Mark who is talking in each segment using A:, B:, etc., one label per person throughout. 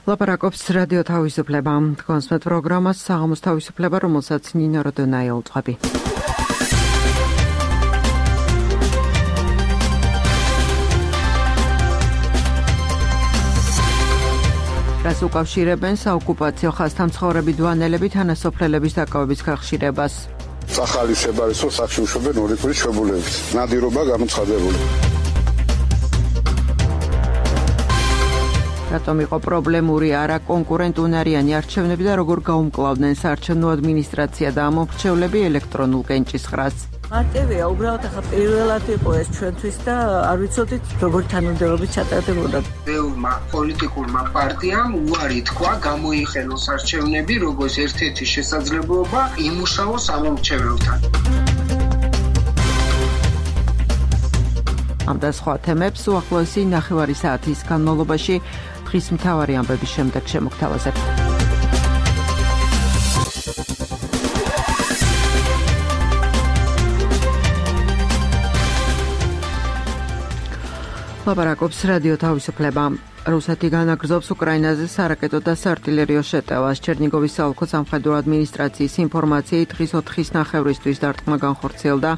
A: ლაპარაკობს რადიო თავისუფლება. კონსმეთ პროგრამას საღამოს თავისუფლება, რომელსაც ნინო როდონაი ელწყვები. რას უკავშირებენ საოკუპაციო ხაზთან მცხოვრები დვანელები თანასოფლელების დაკავების გახშირებას?
B: ახალი შებარისო სახში უშვებენ ორი კვირის ჩვეულებებით. ნადირობა გამოცხადებული.
A: რატომ იყო პრობლემური არა კონკურენტუნარიანი არჩევნები და როგორ გაუმკლავდნენ საარჩევნო ადმინისტრაცია და ამომრჩევლები ელექტრონულ კენჭისყრას?
C: მარტივია, უბრალოდ ახლა პირველად იყო ეს ჩვენთვის და არ ვიცოდით როგორ თანამდებობით ჩატარდებოდა.
D: ბევრმა პოლიტიკურმა პარტიამ უარი თქვა გამოიხენოს არჩევნები როგორც ერთ-ერთი შესაძლებლობა იმუშაოს ამომრჩეველთან.
A: ამ და სხვა თემებს უახლოესი ნახევარი საათის განმავლობაში დღის მთავარი ამბების შემდეგ შემოგთავაზებთ. ლაპარაკობს რადიო თავისუფლება. რუსეთი განაგრძობს უკრაინაზე სარაკეტო და საარტილერიო შეტევას. ჩერნიგოვის საოლქო სამხედრო ადმინისტრაციის ინფორმაციით დღის 4:30 დარტყმა განხორციელდა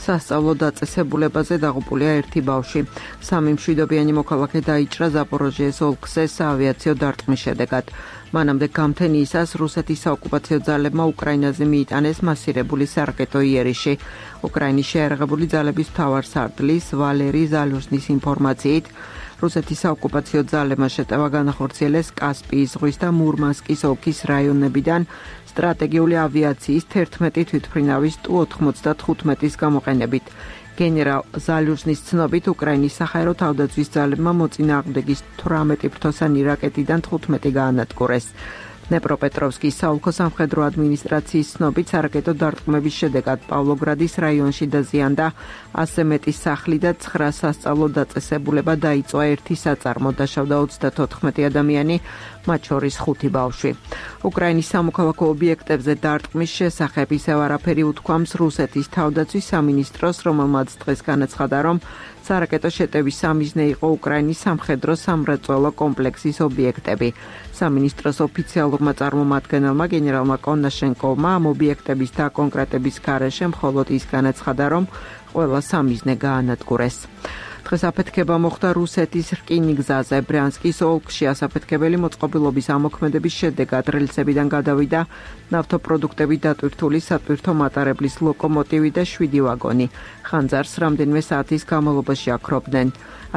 A: სასწავლო დაწესებულებაზე დაღუპულია ერთი ბავშვი. სამი მშვიდობიანი მოქალაქე დაიჭრა ზაპოროჟიეს ოლქზე საავიაციო დარტყმის შედეგად. მანამდე გამთენიისას რუსეთის საოკუპაციო ძალებმა უკრაინაზე მიიტანეს მასირებული სარაკეტო იერიში. უკრაინის შეიარაღებული ძალების მთავარსარდლის ვალერი ზალუჟნის ინფორმაციით რუსეთის საოკუპაციო ძალებმა შეტევა განახორციელეს კასპიის ზღვის და მურმანსკის ოლქის რაიონებიდან სტრატეგიული ავიაციის 11 თვითმფრინავის Tu-95-ის გამოყენებით. გენერალ ზალუჟნის ცნობით უკრაინის საჰაერო თავდაცვის ძალებმა მოწინააღმდეგის 18 ფრთოსანი რაკეტიდან 15 გაანადგურეს. დნეპროპეტროვსკის საოლქო სამხედრო ადმინისტრაციის ცნობით სარაკეტო დარტყმების შედეგად პავლოგრადის რაიონში დაზიანდა 100 მეტი სახლი და 9 სასწავლო დაწესებულება დაიწვა ერთი საწარმო, დაშავდა 34 ადამიანი, მათ შორის 5 ბავშვი. უკრაინის სამოქალაქო ობიექტებზე დარტყმის შესახებ ისევ არაფერი უთქვამს რუსეთის თავდაცვის სამინისტროს, რომელმაც დღეს განაცხადა, რომ სარაკეტო შეტევის სამიზნე იყო უკრაინის სამხედრო სამრეწველო კომპლექსის ობიექტები. სამინისტროს ოფიციალურმა წარმომადგენელმა გენერალმა კონაშენკოვმა ამ ობიექტების დაკონკრეტების გარეშე მხოლოდ ის განაცხადა, რომ ყველა სამიზნე გაანადგურეს. დღეს აფეთქება მოხდა რუსეთის რკინიგზაზე. ბრიანსკის ოლქში ასაფეთქებელი მოწყობილობის ამოქმედების შედეგად რელსებიდან გადავიდა ნავთობპროდუქტებით დატვირთული სატვირთო მატარებლის ლოკომოტივი და 7 ვაგონი. ხანძარს რამდენიმე საათის განმავლობაში აქრობდნენ.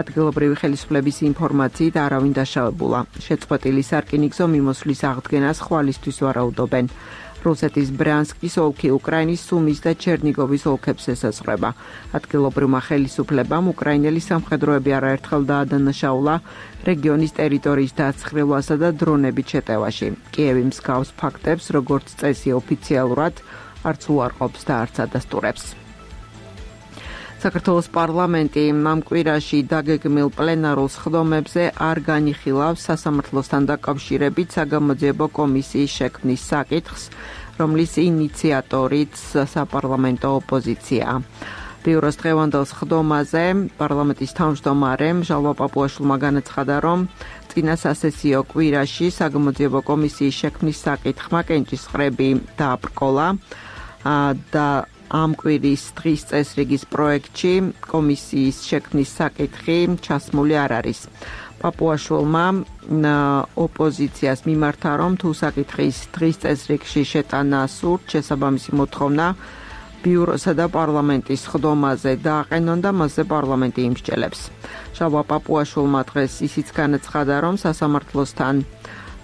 A: ადგილობრივი ხელისუფლების ინფორმაციით არავინ დაშავებულა. შეწყვეტილი სარკინიგზო მიმოსვლის აღდგენას ხვალისთვის ვარაუდობენ. რუსეთის ბრიანსკის ოლქი უკრაინის სუმის და ჩერნიგოვის ოლქებს ესაზღვრება. ადგილობრივმა ხელისუფლებამ უკრაინელი სამხედროები არაერთხელ დაადანაშაულა რეგიონის ტერიტორიის დაცხრილვასა და დრონებით შეტევაში. კიევი მსგავს ფაქტებს, როგორც წესი ოფიციალურად, არც უარყოფს და არც ადასტურებს. საქართველოს პარლამენტი ამ კვირაში დაგეგმილ პლენარულ სხდომებზე არ განიხილავს სასამართლოსთან დაკავშირებით საგამოძიებო კომისიის შექმნის საკითხს, რომლის ინიციატორიც საპარლამენტო ოპოზიციაა. ბიუროს დღევანდელ სხდომაზე პარლამენტის თავმჯდომარემ ჟალვა პაპუაშვილმა განაცხადა, რომ წინა სასესიო კვირაში საგამოძიებო კომისიის შექმნის საკითხმა კენჭისყრები დააბრკოლა და ამ კვირის დღის წესრიგის პროექტში კომისიის შექმნის საკითხი ჩასმული არ არის. პაპუაშვილმა ოპოზიციას მიმართა, რომ თუ საკითხის დღის წესრიგში შეტანა სურთ, შესაბამისი მოთხოვნა ბიუროსა და პარლამენტის სხდომაზე დააყენონ და მასზე პარლამენტი იმსჯელებს. ჟალვა პაპუაშვილმა დღეს ისიც განაცხადა, რომ სასამართლოსთან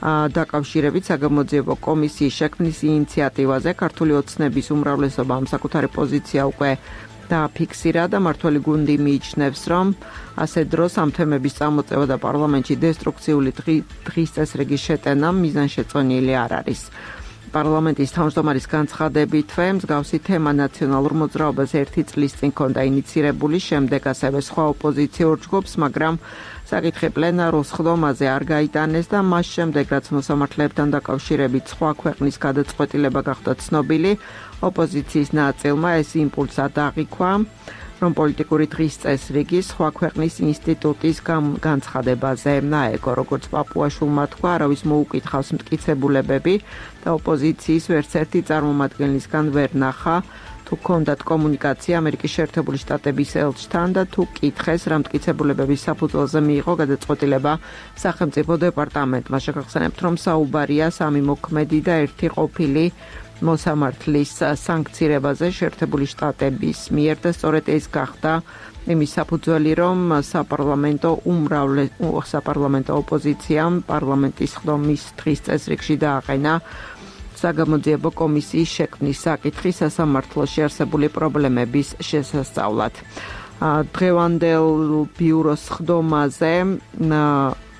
A: დაკავშირებით საგამოძიებო კომისიის შექმნის ინიციატივაზე ქართული ოცნების უმრავლესობამ საკუთარი პოზიცია უკვე დააფიქსირა და მართველი გუნდი მიიჩნევს, რომ ასე დროს ამ თემების წამოწევა და პარლამენტში დესტრუქციული დღის წესრიგის შეტანა მიზანშეწონილი არ არის. პარლამენტის თავმჯდომარის განცხადებითვე მსგავსი თემა ნაციონალურ მოძრაობას ერთი წლის წინ ჰქონდა ინიცირებული, შემდეგ ასევე სხვა ოპოზიციურ ჯგუფს, მაგრამ საკითხი პლენარულ სხდომაზე არ გაიტანეს და მას შემდეგ, რაც მოსამართლეებთან დაკავშირებით სხვა ქვეყნის გადაწყვეტილება გახდა ცნობილი, ოპოზიციის ნაწილმა ეს იმპულსად აღიქვა რომ პოლიტიკური დღის წესრიგი სხვა ქვეყნის ინსტიტუტის განცხადებაზე აეგო, როგორც პაპუაშვილმა თქვა, არავის მოუკითხავს მტკიცებულებები და ოპოზიციის ვერცერთი წარმომადგენლისგან ვერ ნახა, თუ ჰქონდათ კომუნიკაცია ამერიკის შეერთებული შტატების ელჩთან და თუ კითხეს, რა მტკიცებულებების საფუძველზე მიიღო გადაწყვეტილება სახელმწიფო დეპარტამენტმა. შეგახსენებთ, რომ საუბარია სამი მოქმედი და ერთი ყოფილი მოსამართლის სანქცირებაზე შეერთებული შტატების მიერ და სწორედ ეს გახდა იმის საფუძველი, რომ საპარლამენტო ოპოზიციამ პარლამენტის ხდომის დღის წესრიგში დააყენა საგამოძიებო კომისიის შექმნის საკითხი სასამართლოში არსებული პრობლემების შესასწავლად.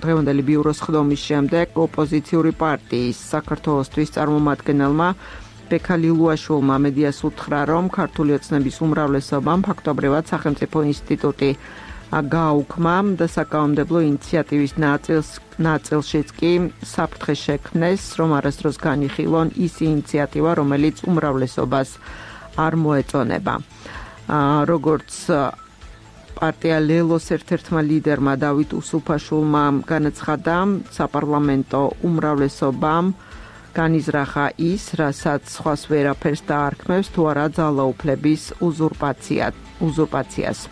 A: დღევანდელი ბიუროს ხდომის შემდეგ ოპოზიციური პარტიის საქართველოსთვის წარმომადგენელმა ბექა ლილუაშვილმა მედიას უთხრა, რომ ქართული ოცნების უმრავლესობამ ფაქტობრივად სახელმწიფო ინსტიტუტი გააუქმა და საკანონმდებლო ინიციატივის ნაწილშიც კი საფრთხე შექმნეს, რომ არასდროს განიხილონ ის ინიციატივა, რომელიც უმრავლესობას არ მოეწონება. როგორც პარტია ლელოს ერთ-ერთმა ლიდერმა დავით უსუფაშვილმა განაცხადა, საპარლამენტო უმრავლესობამ განიზრახა ის, რასაც სხვას ვერაფერს დაარქმევს, თუ არა ძალაუფლების უზურპაციას.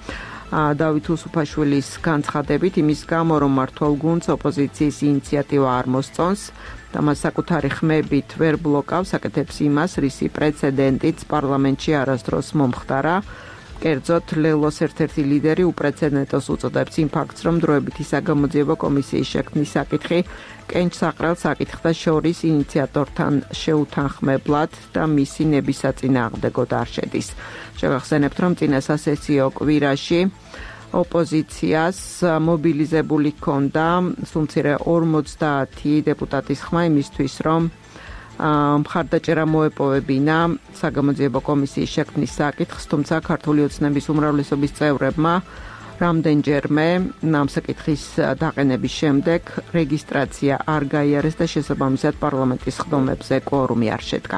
A: დავით უსუფაშვილის განცხადებით, იმის გამო, რომ მმართველ გუნდს ოპოზიციის ინიციატივა არ მოსწონს და მას საკუთარი ხმებით ვერ ბლოკავს, აკეთებს იმას, რისი პრეცედენტიც პარლამენტში არასდროს მომხდარა. კერძოდ, ლელოს ერთ-ერთი ლიდერი უპრეცედენტოს უწოდებს იმ ფაქტს, რომ დროებითი საგამოძიებო კომისიის შექმნის საკითხი კენჭსაყრელ საკითხთა შორის ინიციატორთან შეუთანხმებლად და მისი ნებისაწინააღმდეგოდ არ შედის. შევახსენებთ, რომ წინა სასესიო კვირაში ოპოზიციას მობილიზებული ჰქონდა სულ მცირე 50 დეპუტატის ხმა იმისთვის, რომ მხარდაჭერა მოეპოვებინა საგამოძიებო კომისიის შექმნის საკითხს, თუმცა ქართული ოცნების უმრავლესობის წევრებმა რამდენჯერმე ამ საკითხის დაყენების შემდეგ რეგისტრაცია არ გაიარეს და შესაბამისად პარლამენტის ხდომებზე კვორუმი არ შედგა.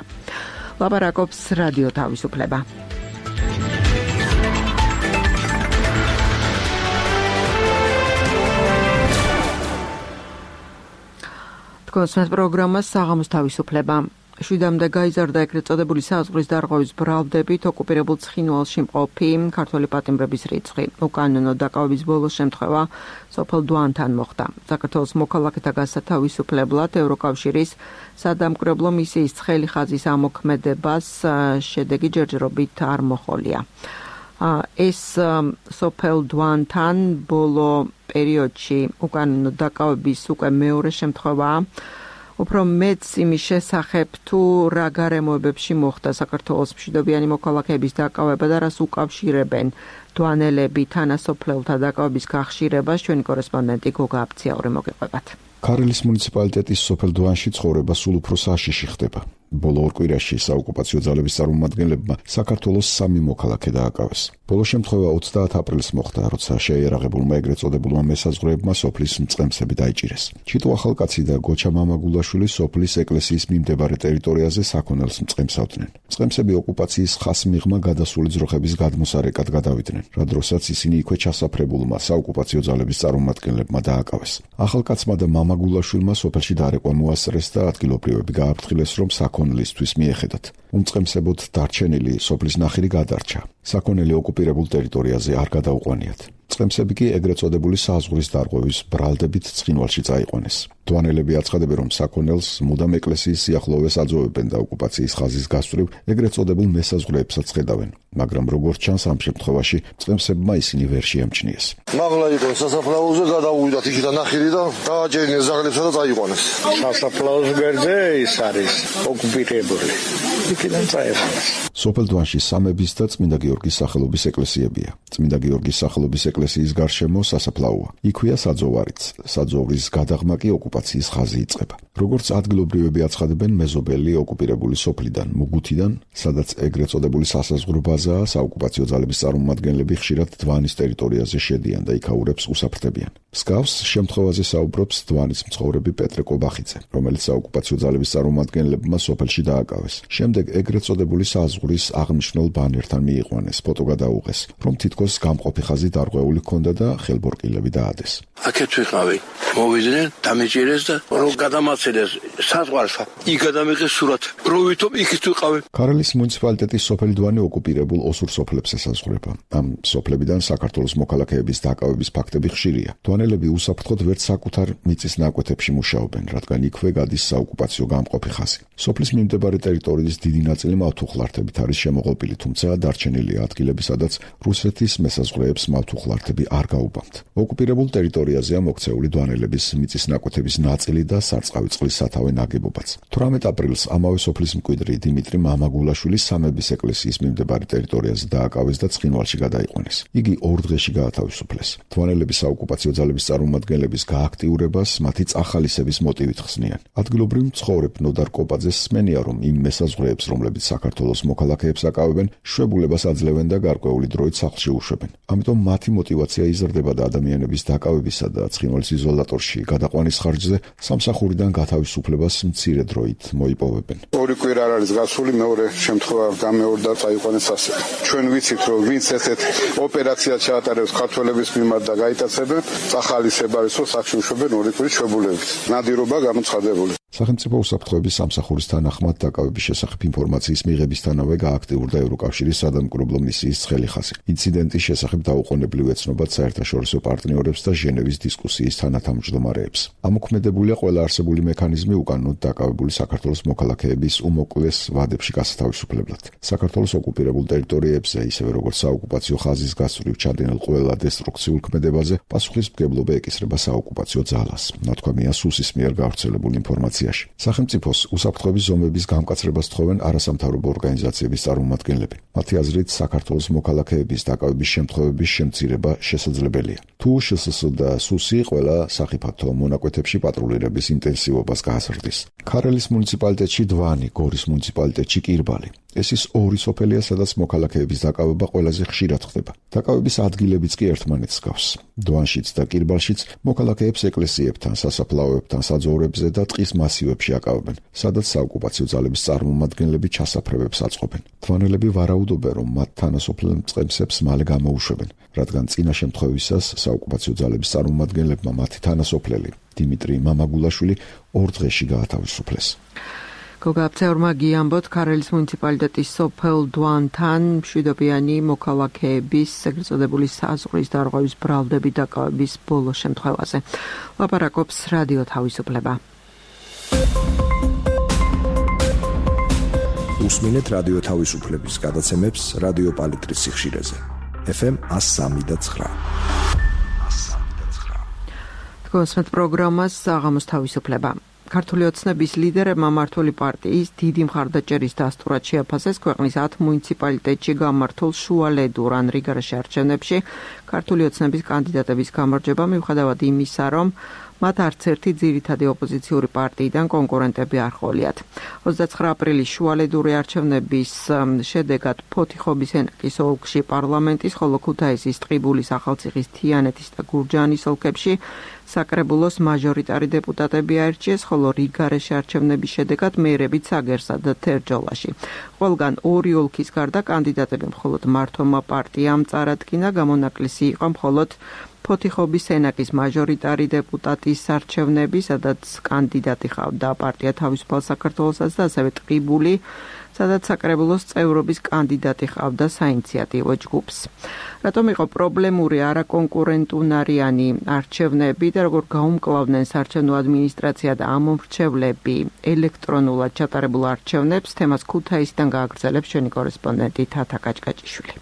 A: ლაპარაკობს რადიო თავისუფლება. კონსერვატ პროგრამა საღამოს თავისუფლება. შვიდამდე გაიზარდა ეგრეთ წოდებული საზღვრის დარღვევის ბრალდებით ოკუპირებულ ცხინვალში მყოფი ქართველი პატიმრების რიცხვი. უკანონო დაკავების ბოლო შემთხვევა სოფელ დვანთან მოხდა. საქართველოს მოქალაქეთა გასათავისუფლებლად ევროკავშირის სადამკვირვებლო მისიის ცხელი ხაზის ამოქმედებას შედეგი ჯერჯერობით არ მოჰყოლია. ეს სოფელ დვანთან ბოლო პერიოდში უკანონო დაკავების უკვე მეორე შემთხვევაა. უფრო მეც იმის შესახებ, თუ რა გარემოებებში მოხდა საქართველოს მშვიდობიანი მოქალაქეების დაკავება და რას უკავშირებენ დვანელები თანასოფლელთა დაკავების გახშირებას, ჩვენი კორესპონდენტი გოგა აბციაური მოგეყვებათ.
E: ქარელის მუნიციპალიტეტის სოფელ დვანში ცხოვრება სულ უფრო საშიში ხდება. ბოლო ორ კვირაში საოკუპაციო ძალების წარმომადგენლებმა საქართველოს 3 მოქალაქე დააკავეს. ბოლო შემთხვევა 30 აპრილს მოხდა, როცა შეიარაღებულმა ეგრეთ წოდებულმა მესაზღვრეებმა სოფლის მწყემსები დაიჭირეს. ჩიტო ახალკაცი და გოჩა მამაგულაშვილი სოფლის ეკლესიის მიმდებარე ტერიტორიაზე საქონელს მწყემსავდნენ. მწყემსები ოკუპაციის ხასმიღმა გადასული ძროხების გადმოსარეკად გადავიდნენ, რა დროსაც ისინი იქვე ჩასაფრებულმა საოკუპაციო ძალების წარმომადგენლებმა დააკავეს. ახალკაცმა და მამაგულაშვილმა სოფელში დარეკვა მოასწრეს და ადგილობრივები გააფრთხილეს, რომ საქონლისთვის მიეხედათ. უმწყემსებოდ დარჩენილი სოფლის ნახირი გადარჩა. საქონელი ოკუპირებულ ტერიტორიაზე არ გადაუყვანიათ. მწყემსები კი ეგრეთ წოდებული საზღვრის დარღვევის ბრალდებით ცხინვალში წაიყვანეს. დვანელები აცხადებენ, რომ საქონელს მუდამ ეკლესიის სიახლოვეს აძოვებენ და ოკუპაციის ხაზის გასწვრივ ეგრეთ წოდებულ მესაზღვრეებსაც ხედავენ. მაგრამ როგორც ჩანს, ამ შემთხვევაში მწყემსებმა ისინი ვერ შეამჩნიეს.
F: მაღლა იყო სასაფლაოზე, გადავუვიდათ იქიდან ნახირი და დააჭერინეს ზაღლებსა და წაიყვანეს.
G: სასაფლაოს გვერდზე ის არის ოკუპირებული. იქიდან წაიყვანეს.
E: სოფელ დვანში სამების და წმინდა გიორგის სახელობის ეკლესიებია. წმინდა გიორგის სახელობის ეკლესიის გარშემო სასაფლაოა. იქვეა საძოვარიც. საძოვრის გადაღმა კი ოკუპაციის ხაზი იწყება. როგორც ადგილობრივები აცხადებენ, მეზობელი ოკუპირებული სოფლიდან, მუგუთიდან, სადაც ეგრეთ წოდებული სასაზღვრო ბაზაა, საოკუპაციო ძალების წარმომადგენლები ხშირად დვანის ტერიტორიაზე შედიან და იქაურებს უსაფრთხებიან. მსგავს შემთხვევაზე საუბრობს დვანის მცხოვრები პეტრე კობახიძე, რომელიც საოკუპაციო ძალების წარმომადგენლებმა სოფელში დააკავეს. შემდეგ შემდეგ ეგრეთ წოდებული საზღვრის აღნიშნულ ბანერთან მიიყვანეს, ფოტო გადაუღეს, რომ თითქოს გამყოფი ხაზი დარღვეული ჰქონდა და ხელბორკილები დაადეს.
H: აქეთ ვიყავი, მოვიდნენ, დამეჭირეს და რომ გადამაცილეს საზღვარსა. იქ გადამიღეს სურათ, რომ ვითომ იქით ვიყავი.
E: ქარელის მუნიციპალიტეტის სოფელი დვანი ოკუპირებულ ოსურ სოფლებს ესაზღვრება. ამ სოფლებიდან საქართველოს მოქალაქეების დაკავების ფაქტები ხშირია. დვანელები უსაფრთხოდ ვერც საკუთარ მიწის ნაკვეთებში მუშაობენ, რადგან იქვე გადის საოკუპაციო გამყოფი ხაზი. სოფლის მიმდებარე ტერიტორიის დიდი ნაწილი მავთუხლართებით არის შემოღობილი, თუმცა დარჩენილია ადგილები, სადაც რუსეთის მესაზღვრეებს მავთუხლართები არ გაუბამთ. ოკუპირებულ ტერიტორიაზეა მოქცეული დვანელების მიწის ნაკვეთების ნაწილი და სარწყავი წყლის სათავე ნაგებობაც. 18 აპრილს ამავე სოფლის მკვიდრი დიმიტრი მამაგულაშვილი სამების ეკლესიის მიმდებარე ტერიტორიაზე დააკავეს და ცხინვალში გადაიყვანეს. იგი 2 დღეში გაათავისუფლეს. დვანელების საოკუპაციო ძალების წარმომადგენლების გააქტიურებას მათი წახალისების მოტივით ხსნიან. ადგილობრივ მცხოვრებ ნოდარ კოპაძეს სმენია, რომ იმ მესაზღვრეებს, რომლებიც საქართველოს მოქალაქეებს აკავებენ, შვებულებას აძლევენ და გარკვეული დროით სახლში უშვებენ. ამიტომ მათი мотиваცია იზრდება და ადამიანების დაკავებისა და ცხინვალის იზოლატორში გადაყვანის ხარჯზე სამსახურიდან გათავისუფლებას მცირე დროით მოიპოვებენ.
B: 2 კვირა არ არის გასული, მეორე შემთხვევა გამეორდა წაიყვანეს ასე. ჩვენ ვიცით, რომ ვინც ესეთ ოპერაციას ჩაატარებს ქართველების მიმართ და გაიტაცებენ, წახალისება არის, რომ სახში უშვებენ 2 კვირის შვებულებით. ნადირობა გამოცხადებული.
E: სახელმწიფო უსაფრთხოების სამსახურის თანახმად დაკავების შესახებ ინფორმაციის მიღებისთანავე გააქტიურდა ევროკავშირის სადამკვირვებლო მისიის ცხელი ხაზი. ინციდენტის შესახებ დაუყოვნებლივ ეცნობათ საერთაშორისო პარტნიორებს და ჟენევის დისკუსიის თანათავმჯდომარეებს. ამოქმედებულია ყველა არსებული მექანიზმი უკანონოდ დაკავებული საქართველოს მოქალაქეების უმოკლეს ვადებში გასათავისუფლებლად. საქართველოს ოკუპირებულ ტერიტორიებზე, ისევე როგორც საოკუპაციო ხაზის გასწვრივ ჩადენილ ყველა დესტრუქციულ ქმედებაზე პასუხისმგებლობა ეკისრება საოკუპაციო ძალას. ნათქვამია სუსის მიერ გავრცელებულ ინფორმაციაში. სახელმწიფოს უსაფრთხოების ზომების გამკაცრებას თხოვენ არასამთავრობო ორგანიზაციების წარმომადგენლები. მათი აზრით, საქართველოს მოქალაქეების დაკავების შემთხვევების შემცირება შესაძლებელია. თუ შსს და სუსი ყველა სახიფათო მონაკვეთებში პატრულირების ინტენსივობას გააზრდის. ქარელის მუნიციპალიტეტში დვანი, გორის მუნიციპალიტეტში კირბალი. ეს ის 2 სოფელია, სადაც მოქალაქეების დაკავება ყველაზე ხშირად ხდება. დაკავების ადგილებიც კი ერთმანეთს გავს. დვანშიც და კირბალშიც მოქალაქეებს ეკლესიებთან, სასაფლაოებთან, საძოვრებზე და ტყის მასივებში აკავებენ, სადაც საოკუპაციო ძალების წარმომადგენლები ჩასაფრებებს აწყობენ. დვანელები ვარაუდობენ, რომ მათ თანასოფლელ მწყემსებს მალე გამოუშვებენ, რადგან წინა შემთხვევისას საოკუპაციო ძალების წარმომადგენლებმა მათი თანასოფლელი დიმიტრი მამაგულაშვილი 2 დღეში გაათავისუფლეს.
A: გოგაბცეორმა გიამბოთ ქარელის მუნიციპალიტეტის სოფელ დვანთან მშვიდობიანი მოქალაქეების ეგრეთ წოდებული საზღვრის დარღვევის ბრალდები დაკავების ბოლო შემთხვევაზე. ლაპარაკობს რადიო თავისუფლება.
I: უსმინეთ რადიო თავისუფლების გადაცემებს რადიო პალიტრის სიხშირეზე. FM 103.9.
A: თქვენს პროგრამას საღამოს თავისუფლება. ქართული ოცნების ლიდერებმა მმართველი პარტიის დიდი მხარდაჭერის დასტურად შეაფასეს ქვეყნის 10 მუნიციპალიტეტში გამართულ შუალედურ ან რიგარაში არჩევნებში ქართული ოცნების კანდიდატების გამარჯვება მიუხედავად იმისა, რომ მათ არც ერთი ძირითადი ოპოზიციური პარტიიდან კონკურენტები არ ჰყოლიათ. 29 აპრილის შუალედური არჩევნების შედეგად ფოთიხობის ენაკის ოლქში პარლამენტის, ხოლო ქუთაისის, ტყიბულის, ახალციხის, თიანეთის და გურჯაანის ოლქებში საკრებულოს მაჟორიტარი დეპუტატები აირჩიეს, ხოლო რიგარეში არჩევნების შედეგად მეერებიც აგერსა და თერჯოლაში. ყველგან 2 ოლქის გარდა კანდიდატები მხოლოდ მართლმა პარტიამ წარადგინა, გამონაკლისი იყო მხოლოდ ფოთიხობის ენაკის მაჟორიტარი დეპუტატის არჩევნები, სადაც კანდიდატი ჰყავდა პარტია თავისუფალ საქართველოსაც და ასევე ტყიბული, სადაც საკრებულოს წევრობის კანდიდატი ჰყავდა საინიციატივო ჯგუფს. რატომ იყო პრობლემური არაკონკურენტუნარიანი არჩევნები და როგორ გაუმკლავდნენ საარჩევნო ადმინისტრაცია და ამომრჩევლები ელექტრონულად ჩატარებულ არჩევნებს, თემას ქუთაისიდან გააგრძელებს ჩვენი კორესპონდენტი თათა კაჭკაჭიშვილი.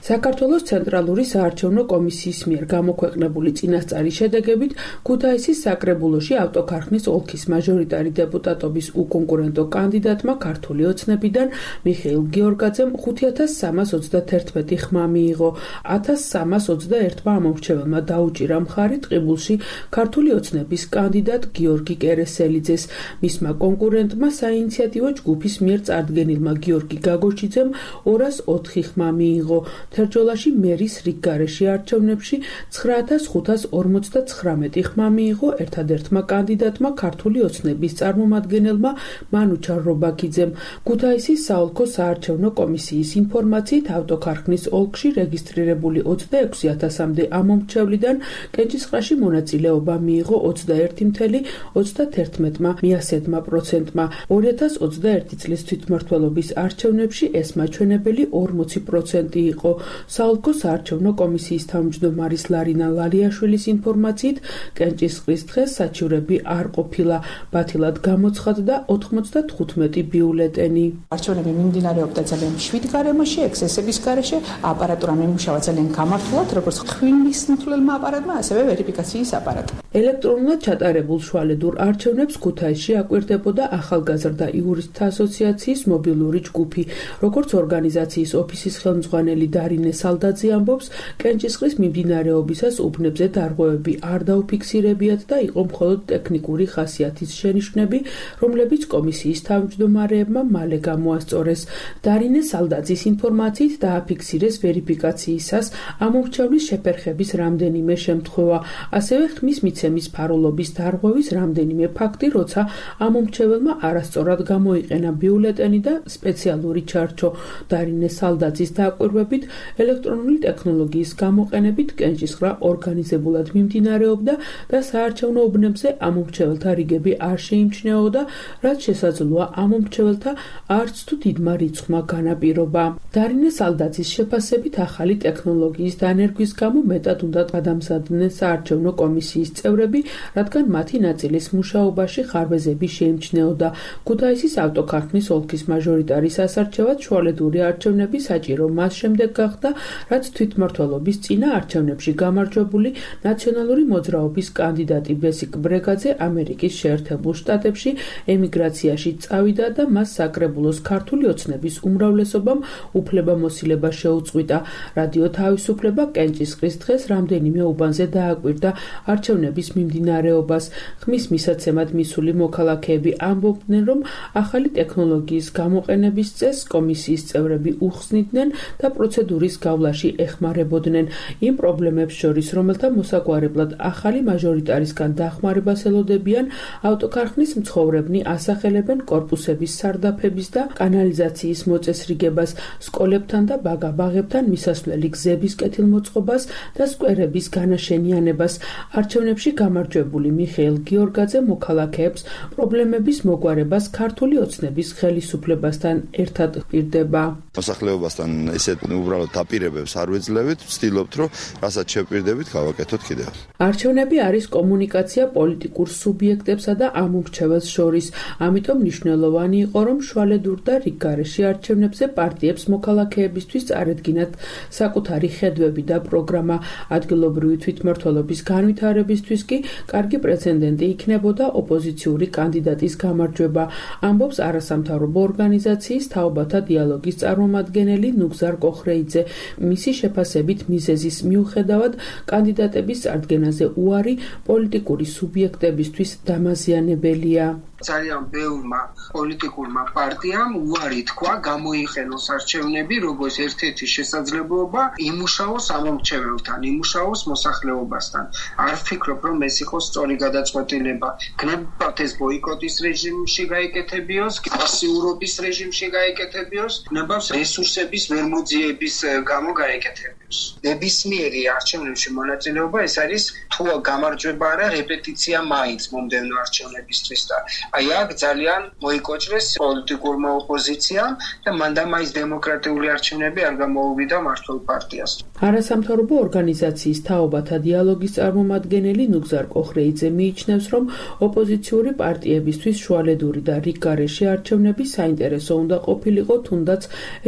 J: საქართველოს ცენტრალური საარჩევნო კომისიის მიერ გამოქვეყნებული წინასწარი შედეგებით ქუთაისის საკრებულოში ავტოქარხნის ოლქის მაჟორიტარი დეპუტატობის უკონკურენტო კანდიდატმა ქართული ოცნებიდან მიხეილ გიორგაძემ 5321 ხმა მიიღო. 1321-მა ამომრჩეველმა დაუჭირა მხარი ტყიბულში ქართული ოცნების კანდიდატ გიორგი კერესელიძეს. მისმა კონკურენტმა საინიციატივო ჯგუფის მიერ წარდგენილმა გიორგი გაგოჩიძემ 204 ხმა მიიღო. თერჯოლაში მერის რიგგარეშე არჩევნებში 9549 ხმა მიიღო ერთადერთმა კანდიდატმა ქართული ოცნების წარმომადგენელმა მანუჩარ რობაქიძემ. ქუთაისის საოლქო საარჩევნო კომისიის ინფორმაციით ავტოქარხნის ოლქში რეგისტრირებული 26,000-მდე ამომრჩევლიდან კენჭისყრაში მონაწილეობა მიიღო 21,31%-მა მიასედმა%-მა. 2021 წლის თვითმმართველობის არჩევნებში ეს მაჩვენებელი 40% იყო. საოლქო საარჩევნო კომისიის თავმჯდომარის ლარინა ლალიაშვილის ინფორმაციით კენჭისყრის დღეს საჩივრები არ ყოფილა. ბათილად გამოცხადდა 95 ბიულეტენი.
K: არჩევნები მიმდინარეობდა ძალიან მშვიდ გარემოში, ექსესების გარეშე, აპარატურა მიმუშავა ძალიან გამართულად, როგორც ხვინის მთვლელმა აპარატმა, ასევე ვერიფიკაციის აპარატი.
J: ელექტრონულად ჩატარებულ შუალედურ არჩევნებს ქუთაისში აკვირდებოდა ახალგაზრდა იურისტთა ასოციაციის მობილური ჯგუფი. როგორც ორგანიზაციის ოფისის ხელმძღვანელი დარინე სალდაძე ამბობს, კენჭისყრის მიმდინარეობისას უბნებზე დარღვევები არ დაუფიქსირებიათ და იყო მხოლოდ ტექნიკური ხასიათის შენიშვნები, რომლებიც კომისიის თავმჯდომარეებმა მალე გამოასწორეს. დარინე სალდაძის ინფორმაციით დააფიქსირეს ვერიფიკაციისას ამომრჩევლის შეფერხების რამდენიმე შემთხვევა, ასევე ხმის მიცემის ფარულობის დარღვევის რამდენიმე ფაქტი, როცა ამომრჩეველმა არასწორად გამოიყენა ბიულეტენი და სპეციალური ჩარჩო. დარინე სალდაძის დაკვირვებით, ელექტრონული ტექნოლოგიის გამოყენებით კენჭისყრა ორგანიზებულად მიმდინარეობდა და საარჩევნო უბნებზე ამომრჩეველთა რიგები არ შეიმჩნეოდა, რაც შესაძლოა ამომრჩეველთა არც თუ დიდმა რიცხვმა განაპირობა. დარინე სალდაძის შეფასებით ახალი ტექნოლოგიის დანერგვის გამო მეტად უნდა გადამზადდნენ საარჩევნო კომისიის წევრები, რადგან მათი ნაწილის მუშაობაში ხარვეზები შეიმჩნეოდა. ქუთაისის ავტოქარხნის ოლქის მაჟორიტარის ასარჩევად შუალედური არჩევნები საჭირო მას შემდეგ გახდა, რაც თვითმმართველობის წინა არჩევნებში გამარჯვებული ნაციონალური მოძრაობის კანდიდატი ბესიკ ბრეგაძე ამერიკის შეერთებულ შტატებში ემიგრაციაში წავიდა და მას საკრებულოს ქართული ოცნების უმრავლესობამ უფლებამოსილება შეუწყვიტა. რადიო თავისუფლება კენჭისყრის დღეს რამდენიმე უბანზე დააკვირდა არჩევნების მიმდინარეობას. ხმის მისაცემად მისული მოქალაქეები ამბობდნენ, რომ ახალი ტექნოლოგიის გამოყენების წესს კომისიის წევრები უხსნიდნენ და პროცედურის გავლაში ეხმარებოდნენ. იმ პრობლემებს შორის, რომელთა მოსაგვარებლად ახალი მაჟორიტარისგან დახმარებას ელოდებიან, ავტოქარხნის მცხოვრებნი ასახელებენ კორპუსების სარდაფების და კანალიზაციის მოწესრიგებას, სკოლებთან და ბაგაბაღებთან მისასვლელი გზების კეთილმოწყობას და სკვერების განაშენიანებას. არჩევნებში გამარჯვებული მიხეილ გიორგაძე მოქალაქეებს პრობლემების მოგვარებას ქართული ოცნების ხელისუფლებასთან ერთად პირდება.
L: მოსახლეობასთან ესეთ უბრალოდ დაპირებებს არ ვეძლევით, ვცდილობთ, რომ რასაც შევპირდებით, გავაკეთოთ კიდევ.
J: არჩევნები არის კომუნიკაცია პოლიტიკურ სუბიექტებსა და ამომრჩეველს შორის. ამიტომ მნიშვნელოვანი იყო, რომ შუალედურ და რიგგარეშე არჩევნებზე პარტიებს მოქალაქეებისთვის წარედგინათ საკუთარი ხედვები და პროგრამა. ადგილობრივი თვითმმართველობის განვითარებისთვის კი კარგი პრეცედენტი იქნებოდა ოპოზიციური კანდიდატის გამარჯვება, ამბობს არასამთავრობო ორგანიზაციის თაობათა დიალოგის წარმომადგენელი ნუგზარ კოხრეიძე. მისი შეფასებით მიზეზის მიუხედავად კანდიდატების წარდგენაზე უარი პოლიტიკური სუბიექტებისთვის დამაზიანებელია.
D: ძალიან ბევრმა პოლიტიკურმა პარტიამ უარი თქვა გამოიხენოს არჩევნები როგორც ერთ-ერთი შესაძლებლობა იმუშაოს ამომრჩეველთან, იმუშაოს მოსახლეობასთან. არ ვფიქრობ, რომ ეს იყოს სწორი გადაწყვეტილება. გნებავთ ეს ბოიკოტის რეჟიმში გაეკეთებიოს, პასიურობის რეჟიმში გაეკეთებიოს, გნებავს რესურსების ვერმოძიების გამო გაეკეთებიოს. ნებისმიერი არჩევნებში მონაწილეობა ეს არის თუ გამარჯვება არა, რეპეტიცია მაინც მომდევნო არჩევნებისთვის და აი აქ ძალიან მოიკოჭრეს პოლიტიკურმა ოპოზიციამ და მანდამაის დემოკრატიული არჩევნები არ გამოუვიდა მმართველ პარტიას.
J: არასამთავრობო ორგანიზაციის თაობათა დიალოგის წარმომადგენელი ნუგზარ კოხრეიძე მიიჩნევს, რომ ოპოზიციური პარტიებისთვის შუალედური და რიგგარეშე არჩევნები საინტერესო უნდა ყოფილიყო თუნდაც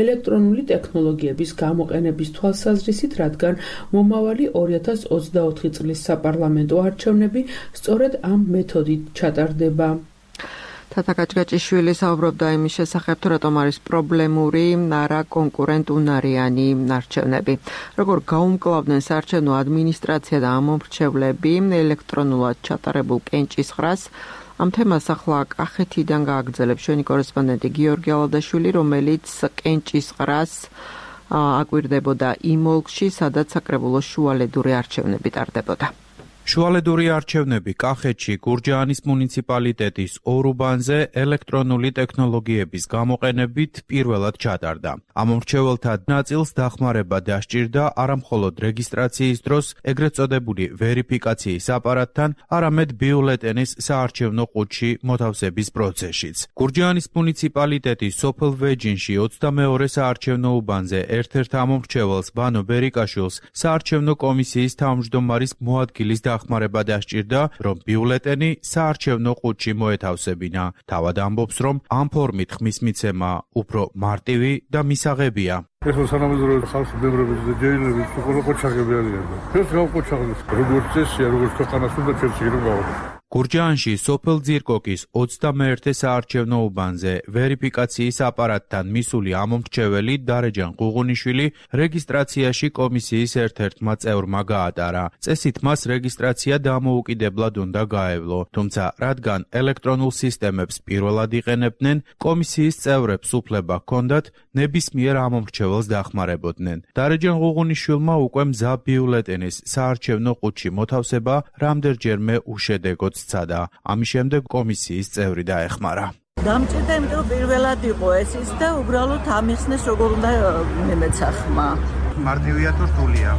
J: ელექტრონული ტექნოლოგიების გამოყენების თვალსაზრისით, რადგან მომავალი 2024 წლის საპარლამენტო არჩევნები სწორედ ამ მეთოდით ჩატარდება.
A: თათა გაჭგაჭიშვილი საუბრობდა იმის შესახებ, თუ რატომ არის პრობლემური არა კონკურენტუნარიანი არჩევნები. როგორ გაუმკლავდნენ საარჩევნო ადმინისტრაცია და ამომრჩევლები ელექტრონულად ჩატარებულ კენჭისყრას. ამ თემას ახლა კახეთიდან გააგრძელებს ჩვენი კორესპონდენტი გიორგი ალადაშვილი, რომელიც კენჭისყრას აკვირდებოდა იმ ოლქში, სადაც საკრებულოს შუალედური არჩევნები ტარდებოდა.
M: შუალედური არჩევნები კახეთში გურჯაანის მუნიციპალიტეტის ორუბანზე ელექტრონული ტექნოლოგიების გამოყენებით პირველად ჩატარდა. ამომრჩეველთა ნაწილს დახმარება დასჭირდა არამხოლოდ რეგისტრაციის დროს ეგრეთ წოდებული ვერიფიკაციის აპარატთან, არამედ ბიულეტენის საარჩევნო ყუთში მოთავსების პროცესშიც. გურჯაანის მუნიციპალიტეტის სოფელ ვეჯინში 22 საარჩევნო უბანზე ერთ-ერთ ამომრჩეველს ბანო ბერიკაშვილს საარჩევნო კომისიის თავმჯდომარის მოადგილის დახმარება დასჭირდა, რომ ბიულეტენი საარჩევნო ყუთში მოეთავსებინა. თავად ამბობს, რომ ამ ფორმით ხმის მიცემა უფრო მარტივი და მისაღებია.
N: ეხლა სანამედროვე ხალხი მემრების და ჯეილების ყველა ყოჩაღები არიან. ეს გავყოჩაღებს როგორც წესია, როგორც ქვეყანას უნდა ჩერჩი რომ გავაკეთო.
M: გურჯაანში სოფელ ძირკოკის 21 საარჩევნო უბანზე ვერიფიკაციის აპარატთან მისული ამომრჩეველი დარეჯან ყუღუნიშვილი რეგისტრაციაში კომისიის ერთ-ერთმა წევრმა გაატარა. წესით მას რეგისტრაცია დამოუკიდებლად უნდა გაევლო, თუმცა რადგან ელექტრონულ სისტემებს პირველად იყენებდნენ, კომისიის წევრებს უფლება ჰქონდათ ნებისმიერ ამომრჩეველს დახმარებოდნენ. დარეჯან ყუღუნიშვილმა უკვე მზა ბიულეტენის საარჩევნო ყუთში მოთავსება რამდენჯერმე უშედეგოდ სცადა. ამის შემდეგ კომისიის წევრი დაეხმარა.
C: დამჭირდა, იმიტომ რომ პირველად იყო ეს ის და უბრალოდ ამიხსნეს როგორ უნდა მემეცა ხმა.
M: მარტივია თუ რთულია?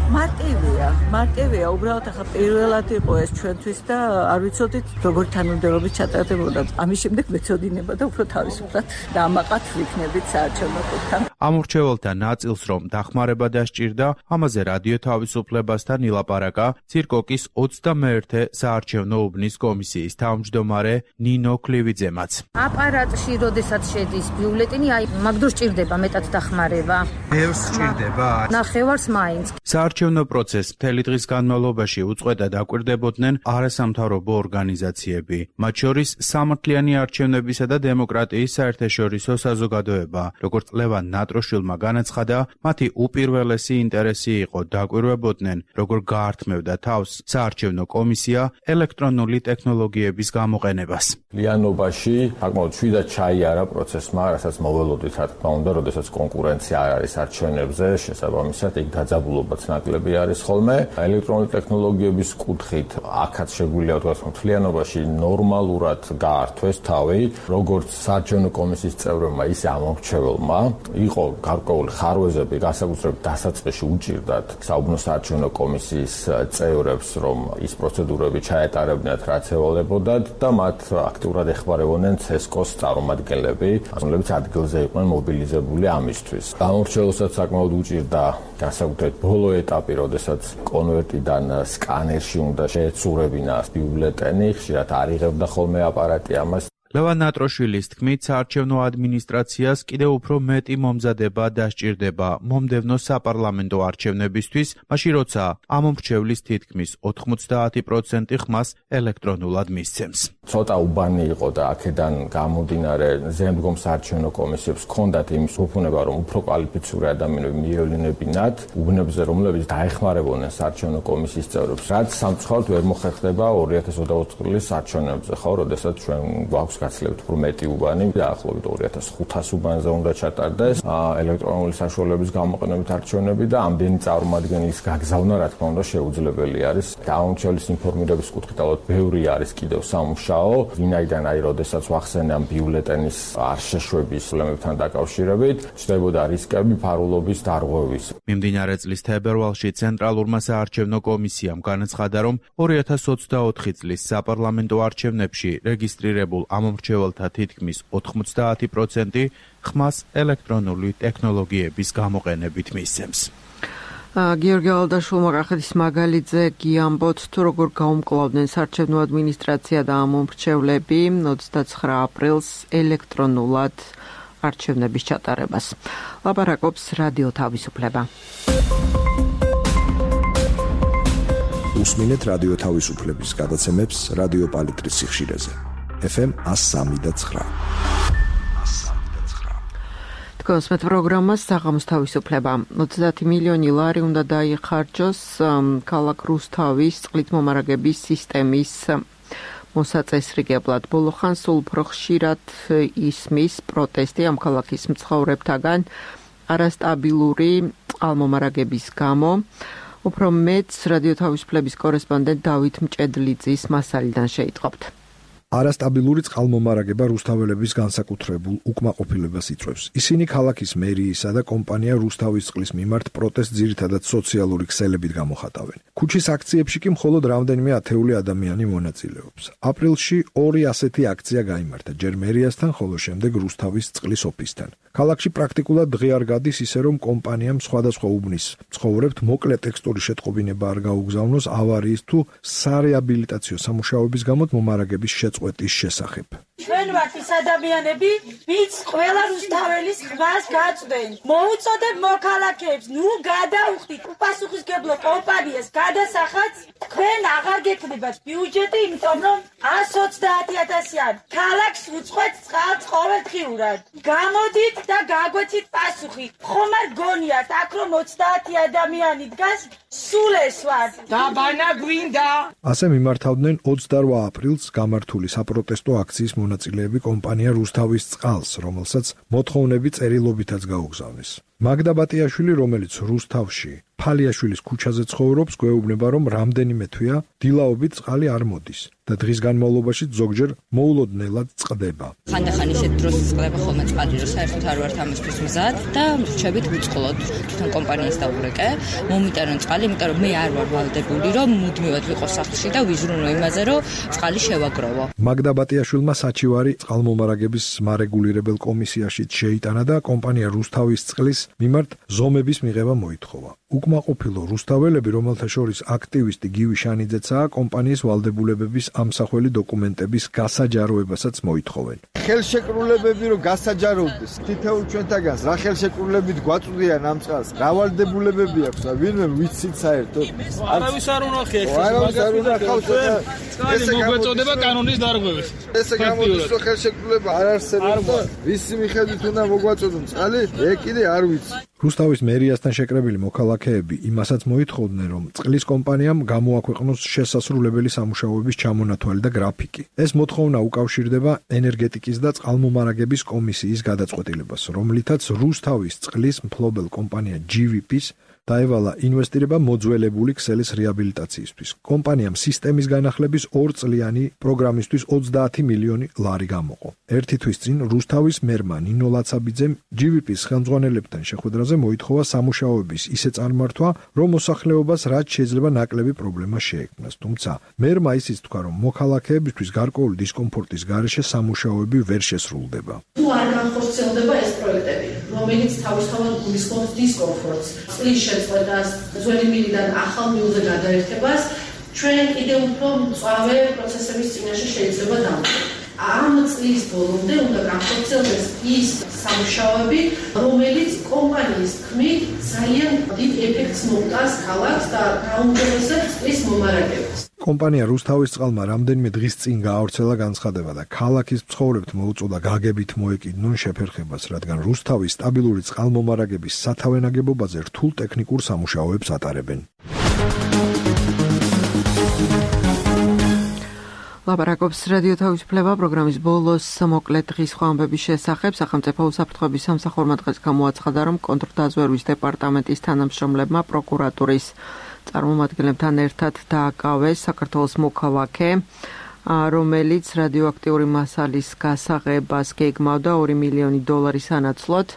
C: მარტივია, უბრალოდ ახლა პირველად იყო ეს ჩვენთვის და არ ვიცოდით როგორ თანამდებობით ჩატარდებოდა. ამის შემდეგ მეცოდინება და უფრო თავისუფლად დამაყათ ვიქნებით საარჩევნო ყუთთან.
M: ამორჩეველთა ნაწილს რომ დახმარება დასჭირდა, ამაზე რადიო თავისუფლებასთან ილაპარაკა ძირკოკის 21 საარჩევნო უბნის კომისიის თავმჯდომარე ნინო ქლივიძემაც.
O: აპარატში როდესაც შედის ბიულეტენი, მაგ დროს ჭირდება მეტად დახმარება.
M: ბევრს ჭირდება.
O: ნახევარს მაინც.
M: საარჩევნო პროცესს მთელი დღის განმავლობაში უწყვეტად აკვირდებოდნენ არასამთავრობო ორგანიზაციები, მათ შორის სამართლიანი არჩევნებისა და დემოკრატიის საერთაშორისო საზოგადოება. როგორც ლევან ნატროშვილმა განაცხადა, მათი უპირველესი ინტერესი იყო დაკვირვებოდნენ, როგორ გაართმევდა თავს საარჩევნო კომისია ელექტრონული ტექნოლოგიების გამოყენებას.
P: ლიანობაში საკმაოდ შვიდად ჩაიარა პროცესმა, რასაც მოველოდით, რა თქმა უნდა, როდესაც კონკურენცია არ არის არჩევნებზე, შესაბამისად იქ დაძაბულობაც ნაკლები არის ხოლმე. ელექტრონული ტექნოლოგიების კუთხით აქაც შეგვიძლია ვთქვათ, მთლიანობაში ნორმალურად გაართვეს თავი, როგორც საარჩევნო კომისიის წევრებმა, ისე ამომრჩეველმა. იყო გარკვეული ხარვეზები, განსაკუთრებით დასაწყისში უჭირდათ საუბნო საარჩევნო კომისიის წევრებს, რომ ის პროცედურები ჩაეტარებინათ, რაც ევალებოდათ და მათ აქტიურად ეხმარებოდნენ CESCO-ს წარმომადგენლები, რომლებიც ადგილზე იყვნენ მობილიზებული ამისთვის. გამორჩეულსაც საკმაოდ უჭირდა განსაკუთრებით ბოლო ეტაპი, როდესაც კონვერტიდან სკანერში უნდა შეეცურებინა ბიულეტენი, ხშირად არ იღებდა ხოლმე აპარატი ამას.
M: ლევან ნატროშვილის თქმით, საარჩევნო ადმინისტრაციას კიდევ უფრო მეტი მომზადება დასჭირდება მომდევნო საპარლამენტო არჩევნებისთვის, მაშინ როცა ამომრჩევლის თითქმის 90% ხმას ელექტრონულად მისცემს.
P: ცოტა უბანი იყო და აქედან გამომდინარე ზემდგომ საარჩევნო კომისიებს ჰქონდათ იმის უფუნება, რომ უფრო კვალიფიციური ადამიანები მიევლინებინათ უბნებზე, რომლებიც დაეხმარებოდნენ საარჩევნო კომისიის წევრებს, რაც სამწუხაროდ ვერ მოხერხდება 2024 წლის არჩევნებზე, ხო, როდესაც ჩვენ გვაქვს გაცლებთ უფრო მეტი უბანი, დაახლოებით 2500 უბანზე უნდა ჩატარდეს ელექტრონული საშუალებების გამოყენებით არჩევნები და ამდენი წარმომადგენლის გაგზავნა, რა თქმა უნდა, შეუძლებელი არის. გამომრჩევლის ინფორმირების კუთხით ალბათ ბევრი არის კიდევ სამუშაო, ვინაიდან როდესაც ვახსენე ამ ბიულეტენის არ შეშვების პრობლემებთან დაკავშირებით, ჩნდებოდა რისკები ფარულობის დარღვევის.
M: მიმდინარე წლის თებერვალში ცენტრალურმა საარჩევნო კომისიამ განაცხადა, რომ 2024 წლის საპარლამენტო არჩევნებში რეგისტრირებულ ამომრჩეველთა თითქმის 90% ხმას ელექტრონული ტექნოლოგიების გამოყენებით მისცემს.
A: გიორგი ალდაშვილმა კახეთის მაგალითზე გიამბოთ, თუ როგორ გაუმკლავდნენ საარჩევნო ადმინისტრაცია და ამომრჩევლები 29 აპრილს ელექტრონულად არჩევნების ჩატარებას. ლაპარაკობს რადიო თავისუფლება.
I: უსმინეთ რადიო თავისუფლების გადაცემებს რადიო პალიტრის სიხშირეზე. FM 103.9.
A: კონსმეთ პროგრამას საღამოს თავისუფლება. 30 მილიონი ლარი უნდა დაიხარჯოს ქალაქ რუსთავის წყლით მომარაგების სისტემის მოსაწესრიგებლად. ბოლო ხანს სულ უფრო ხშირად ისმის პროტესტი ამ ქალაქის მცხოვრებთაგან არასტაბილური წყალმომარაგების გამო. უფრო მეც რადიო თავისუფლების კორესპონდენტ დავით მჭედლიძის მასალიდან შეიტყობთ.
I: არასტაბილური წყალმომარაგება რუსთაველების განსაკუთრებულ უკმაყოფილებას იწვევს. ისინი ქალაქის მერიისა და კომპანია რუსთავის წყლის მიმართ პროტესტს ძირითადად სოციალური ქსელებით გამოხატავენ. ქუჩის აქციებში კი მხოლოდ რამდენიმე ათეული ადამიანი მონაწილეობს. აპრილში 2 ასეთი აქცია გაიმართა, ჯერ მერიასთან, ხოლო შემდეგ რუსთავის წყლის ოფისთან. ქალაქში პრაქტიკულად დღე არ გადის ისე რომ კომპანიამ სხვადასხვა უბნის მცხოვრებთ მოკლე ტექსტური შეტყობინება არ გაუგზავნოს ავარიის თუ სარეაბილიტაციო სამუშაოების გამო მომარაგების შეწყვეტის შესახებ.
Q: ჩვენ ვართ ის ადამიანები, ვინც ყველა რუსთაველის ხმას გაწვდენ. მოუწოდებ მოქალაქეებს, ნუ გადაუხდით უპასუხისმგებლო კომპანიას გადასახადს, თქვენ აღარ გექნებათ ბიუჯეტი, იმიტომ რომ 130.000-იან ქალაქს უწყვეტ წყალს ყოველდღიურად. გამოდით და გაგვეცით პასუხი. ხომ არ გონიათ, აქ რომ 30 ადამიანი დგას, სულ ეს ვარ. დაბანა გვინდა.
I: ასე მიმართავდნენ 28 აპრილს გამართული საპროტესტო აქციის მონაწილეები კომპანია რუსთავის წყალს, რომელსაც მოთხოვნები წერილობითაც გაუგზავნეს. მაგდა ბატიაშვილი, რომელიც რუსთავში ფალიაშვილის ქუჩაზე ცხოვრობს, გვეუბნება, რომ რამდენიმე თვეა დილაობით წყალი არ მოდის და დღის განმავლობაში ზოგჯერ მოულოდნელად წყდება.
R: ხანდახან ისეთ დროს წყდება ხოლმე წყალი, რომ საერთოდ არ ვართ ამისთვის მზად და რჩებით ვუწყლოდ თვითონ კომპანიას დაურეკე, მომიტანონ წყალი, იმიტომ რომ მე არ ვარ ვალდებული, რომ მუდმივად ვიყო სახლში და ვიზრუნო იმაზე, რომ წყალი შევაგროვო.
I: მაგდა ბატიაშვილმა საჩივარი წყალმომარაგების მარეგულირებელ კომისიაში შეიტანა და კომპანია რუსთავის წყლის მიმართ ზომების მიღება მოითხოვა. უკმაყოფილო რუსთაველები, რომელთა შორის აქტივისტი გივი შანიძეცაა, კომპანიის ვალდებულებების ამსახველი დოკუმენტების გასაჯაროებასაც მოითხოვენ.
S: ხელშეკრულებები რომ გასაჯაროვდეს, თითოეულ ჩვენთაგანს რა ხელშეკრულებით გვაწვდიან ამ წყალს, რა ვალდებულებები აქვს და ვინმე ვიცით საერთოდ.
T: არავის არ უნახია
S: ეს. არავის არ უნახავს და
T: ეს მოგვეწოდება კანონის დარღვევით.
S: ესე გამოდის რომ ხელშეკრულება არ არსებობს და ვისი მიხედვით უნდა მოგვაწოდონ წყალი, ეგ კიდე არ ვიცი.
I: რუსთავის მერიასთან შეკრებილი მოქალაქეები იმასაც მოითხოვდნენ, რომ წყლის კომპანიამ გამოაქვეყნოს შესასრულებელი სამუშაოების ჩამონათვალი და გრაფიკი. ეს მოთხოვნა უკავშირდება ენერგეტიკის და წყალმომარაგების კომისიის გადაწყვეტილებას, რომლითაც რუსთავის წყლის მფლობელ კომპანია GVP-ს დაევალა ინვესტირება მოძველებული ქსელის რეაბილიტაციისთვის. კომპანიამ სისტემის განახლების 2 წლიანი პროგრამისთვის 30 მილიონი ლარი გამოყო. ერთი თვის წინ რუსთავის მერმა ნინო ლაცაბიძემ GVP-ს ხელმძღვანელებთან შეხვედრაზე მოითხოვა სამუშაოების ისე წარმართვა, რომ მოსახლეობას რაც შეიძლება ნაკლები პრობლემა შეექმნას. თუმცა მერმა ისიც თქვა, რომ მოქალაქეებისთვის გარკვეული დისკომფორტის გარეშე სამუშაოები ვერ შესრულდება.
U: თუ არ განხორციელდება ეს პროექტები, რომელიც თავისთავად გულისხმობს დისკომფორტს, წყლის შეწყვეტას, ძველი მილიდან ახალ მილზე გადაერთებას, ჩვენ კიდევ უფრო მწვავე პროცესების წინაშე შეიძლება დავყოთ. ამ წლის ბოლომდე უნდა განხორციელდეს ის სამუშაოები, რომელიც კომპანიის თქმით ძალიან დიდ ეფექტს მოუტანს ქალაქს და გაუმჯობესებს წყლის მომარაგებას.
I: კომპანია რუსთავის წყალმა რამდენიმე დღის წინ გაავრცელა განცხადება და ქალაქის მცხოვრებთ მოუწოდა გაგებით მოეკიდნონ შეფერხებას, რადგან რუსთავის სტაბილური წყალმომარაგების სათავე-ნაგებობაზე რთულ ტექნიკურ სამუშაოებს ატარებენ.
A: ლაპარაკობს რადიო თავისუფლება პროგრამის ბოლოს მოკლე დღის ხვამბების შესახებ. სახელმწიფო უსაფრთხოების სამსახურმა დღეს გამოაცხადა, რომ კონტრდაზვერვის დეპარტამენტის თანამშრომლებმა პროკურატურის წარმომადგენლებთან ერთად დააკავეს საქართველოს მოქალაქე, რომელიც რადიოაქტიური მასალის გასაღებას გეგმავდა $2 მილიონი სანაცვლოდ.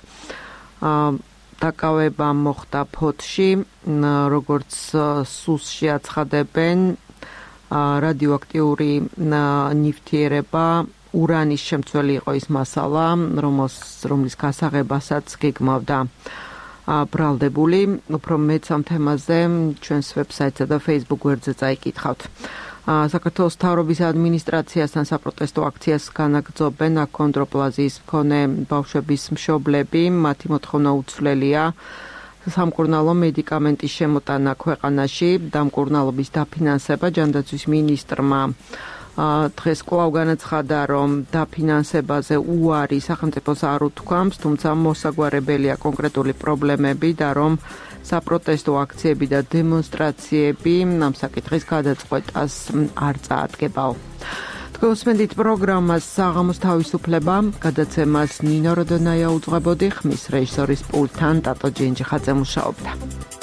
A: დაკავება მოხდა ფოთში, როგორც სუსში აცხადებენ, რადიოაქტიური ნივთიერება ურანის შემცველი იყო ის მასალა, რომლის გასაღებასაც გეგმავდა ბრალდებული. უფრო მეც ამ თემაზე ჩვენს ვებსაიტსა და Facebook გვერდზე წაიკითხავთ. საქართველოს მთავრობის ადმინისტრაციასთან საპროტესტო აქციას განაგრძობენ აქონდროპლაზიის მქონე ბავშვების მშობლები. მათი მოთხოვნა უცვლელია სამკურნალო მედიკამენტის შემოტანა ქვეყანაში. დამკურნალობის დაფინანსება ჯანდაცვის მინისტრმა დღეს კვლავ განაცხადა, რომ დაფინანსებაზე უარი სახელმწიფოს არ უთქვამს, თუმცა მოსაგვარებელია კონკრეტული პრობლემები და რომ საპროტესტო აქციები და დემონსტრაციები ამ საკითხის გადაწყვეტას არ წაადგებაო. გოსმენდით პროგრამას საღამოს თავისუფლება, გადაცემას ნინო როდონაია უძღვებოდი, ხმის რეჟისორის პულტთან ტატო ჯენჯიხაძე მუშაობდა.